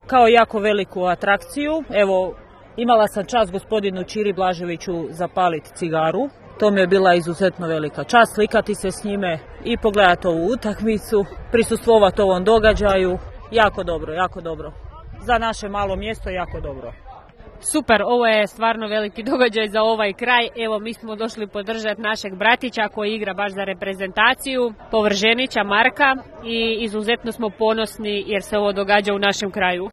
kao jako veliku atrakciju. Evo, imala sam čast gospodinu Čiri Blaževiću zapaliti cigaru. To mi je bila izuzetno velika čast, slikati se s njime i pogledati ovu utakmicu, prisustvovati ovom događaju. Jako dobro, jako dobro. Za naše malo mjesto jako dobro. Super, ovo je stvarno veliki događaj za ovaj kraj. Evo, mi smo došli podržati našeg bratića koji igra baš za reprezentaciju, Povrženića Marka, i izuzetno smo ponosni jer se ovo događa u našem kraju.